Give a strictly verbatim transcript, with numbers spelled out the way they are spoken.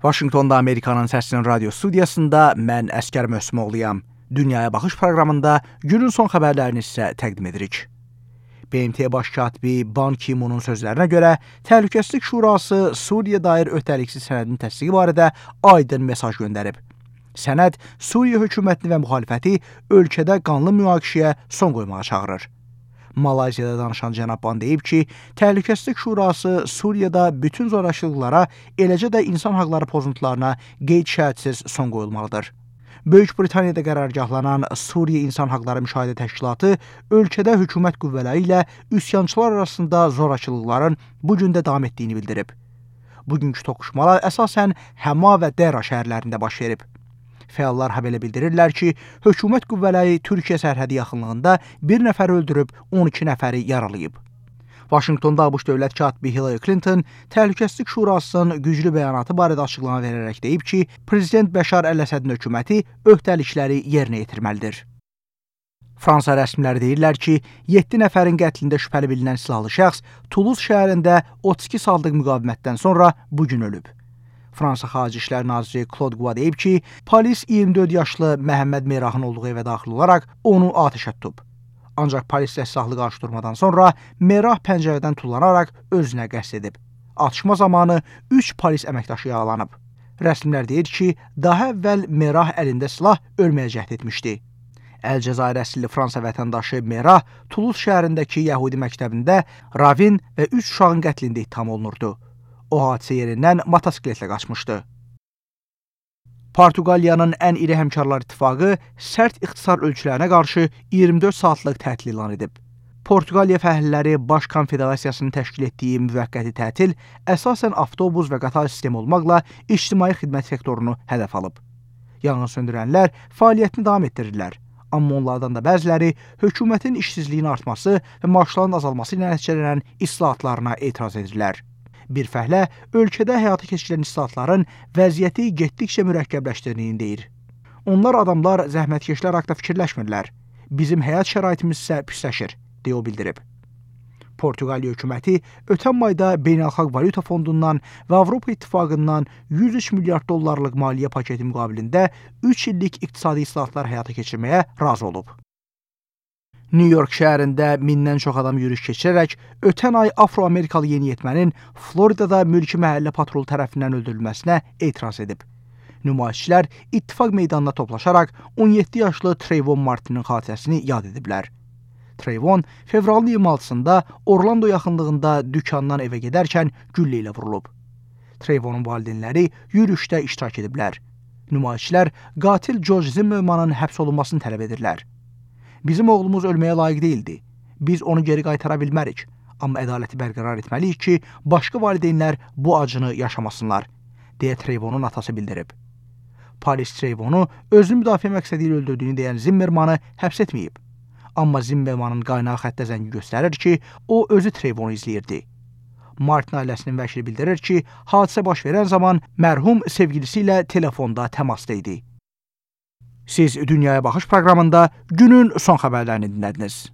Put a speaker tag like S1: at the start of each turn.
S1: Vaşinqtonda Amerikanın Səsinin radio studiyasında mən Əskər Möhsümoğluyam. Dünyaya Baxış proqramında günün son xəbərlərini sizə təqdim edirik. B M T Baş katibi Ban Ki-moonun sözlərinə görə, Təhlükəsizlik Şurası Suriya dair öhdəliksiz sənədin təsdiqi barədə aydın mesaj göndərib. Sənəd Suriya hökumətini və müxalifəti ölkədə qanlı münaqişəyə son qoymağa çağırır. Malayziyada danışan cənab Ban deyib ki, Təhlükəsizlik Şurası Suriyada bütün zorakılıqlara, eləcə də insan haqları pozuntularına qeyd-şərtsiz son qoyulmalıdır. Böyük Britaniyada qərargahlanan Suriya İnsan Haqları Müşahidə Təşkilatı ölkədə hökumət qüvvələri ilə üsyançılar arasında zorakılıqların bu gün də davam etdiyini bildirib. Bugünkü toqquşmalar əsasən Həma və Dəra şəhərlərində baş verib. Fəallar habelə bildirirlər ki, hökumət qüvvələri Türkiyə sərhədi yaxınlığında bir nəfər öldürüb, on iki nəfəri yaralayıb. Vaşinqtonda ABŞ dövlət katibi Hillary Clinton Təhlükəsizlik Şurasının güclü bəyanatı barədə açıqlama verərək deyib ki, Prezident Bəşar Əl-Əsədin hökuməti öhdəlikləri yerinə yetirməlidir. Fransa rəsmiləri deyirlər ki, yeddi nəfərin qətlində şübhəli bilinən silahlı şəxs Toulouse şəhərində otuz iki saatlıq müqavimətdən sonra bugün ölüb. Fransa Xarici İşlər Naziri Claude Guo deyib ki, polis iyirmi dörd yaşlı Məhəmməd Merahın olduğu evə daxil olaraq onu atəşə tutub. Ancaq polislə silahlı qarşıdurmadan sonra Merah pəncərədən tullanaraq özünə qəsd edib. Atışma zamanı üç polis əməkdaşı yaralanıb. Rəsmilər deyir ki, daha əvvəl Merah əlində silah ölməyə cəhd etmişdi. Əl-Cəzair əsilli Fransa vətəndaşı Merah Toulouse şəhərindəki Yəhudi məktəbində Ravin və üç uşağın qətlində ittiham olunurdu. O hadisə yerindən motosikletlə qaçmışdı. Portuqaliyanın ən iri həmkarlar ittifaqı sərt ixtisar ölçülərinə qarşı iyirmi dörd saatlıq tətil elan edib. Portuqaliya fəhlələri Baş Konfederasiyasının təşkil etdiyi müvəqqəti tətil əsasən avtobus və qatar sistemi olmaqla ictimai xidmət sektorunu hədəf alıb. Yanğın söndürənlər fəaliyyətini davam etdirirlər. Amma onlardan da bəziləri hökumətin işsizliyin artması və maaşların azalması ilə nəticələnən islahatlarına etiraz edirlər. Bir fəhlə ölkədə həyata keçirilən islahatların vəziyyəti getdikcə mürəkkəbləşdirdiyini deyir. Onlar adamlar zəhmətkeşlər haqqında fikirləşmirlər. Bizim həyat şəraitimiz isə pisləşir, deyə o bildirib. Portuqaliya hökuməti ötən ayda Beynəlxalq Valyuta Fondundan və Avropa İttifaqından yüz üç milyard dollarlıq maliyyə paketi müqabilində üç illik iqtisadi islahatlar həyata keçirməyə razı olub. New York şəhərində mindən çox adam yürüyüş keçirərək ötən ay Afro-Amerikalı yeniyetmənin Floridada mülki məhəllə patrolu tərəfindən öldürülməsinə etiraz edib. Nümayişçilər ittifaq meydanına toplaşaraq on yeddi yaşlı Trayvon Martin'in xatirəsini yad ediblər. Trayvon fevralın iyirmi altısında Orlando yaxınlığında dükandan evə gedərkən güllə ilə vurulub. Trayvonun valideynləri yürüyüşdə iştirak ediblər. Nümayişçilər qatil George Zimmermanın həbs olunmasını tələb edirlər. Bizim oğlumuz ölməyə layiq deyildi. Biz onu geri qaytara bilmərik. Amma ədaləti bərqərar etməliyik ki, başqa valideynlər bu acını yaşamasınlar, deyə Trayvonun atası bildirib. Polis Trayvonu özünü müdafiə məqsədi ilə öldürdüyünü deyən Zimmermanı həbs etməyib. Amma Zimmermanın qaynağı xəttə zəngi göstərir ki, o özü Trayvonu izləyirdi. Martin ailəsinin vəkili bildirir ki, hadisə baş verən zaman mərhum sevgilisi ilə telefonda təmasda idi. Siz Dünyaya Baxış proqramında günün son xəbərlərini dinlədiniz.